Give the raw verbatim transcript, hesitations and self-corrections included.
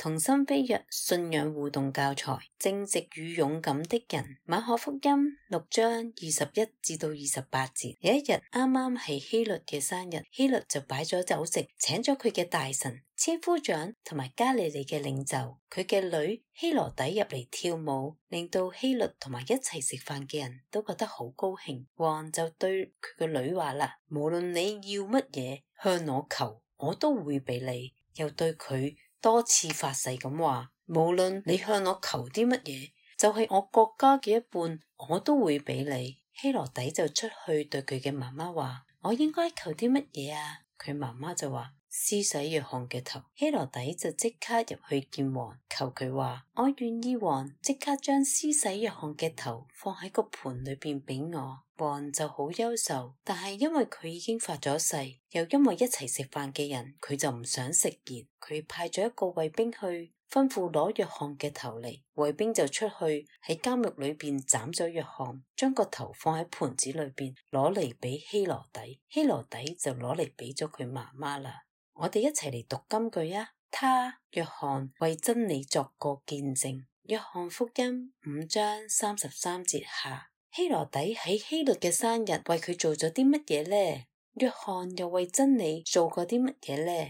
同心飛躍信仰互動教材，正直與勇敢的人。馬可福音六章二十一至到二十八節。有一日啱啱係希律嘅生日，希律就擺咗酒席，請咗佢嘅大臣、千夫長同埋加利利嘅領袖，佢嘅女希羅底入嚟跳舞，令到希律同埋一齊食飯嘅人都覺得好高興。王就對佢個女話啦：無論你要乜嘢，向我求，我都會俾你。又對佢多次發誓咁話，無論你向我求啲乜嘢，就係我國家嘅一半，我都會俾你。希羅底就出去對佢嘅媽媽話：我應該求啲乜嘢啊？佢媽媽就話：施洗約翰嘅頭。希羅底就即刻入去見王，求佢話：我願意王即刻將施洗約翰嘅頭放喺個盤裏邊俾我。王就好憂愁，但係因為佢已經發咗誓，又因為一齊食飯嘅人，佢就唔想食言。佢派咗一個衛兵去吩咐攞約翰嘅頭嚟，衛兵就出去喺監獄裏邊斬咗約翰，將個頭放喺盤子裏邊攞嚟俾希羅底，希羅底就攞嚟俾咗佢媽媽啦。我哋一齊嚟讀金句啊！他約翰為真理作過見證。約翰福音五章三十三節下。希羅底喺希律嘅生日為佢做咗啲乜嘢呢？約翰又為真理做過啲乜嘢呢？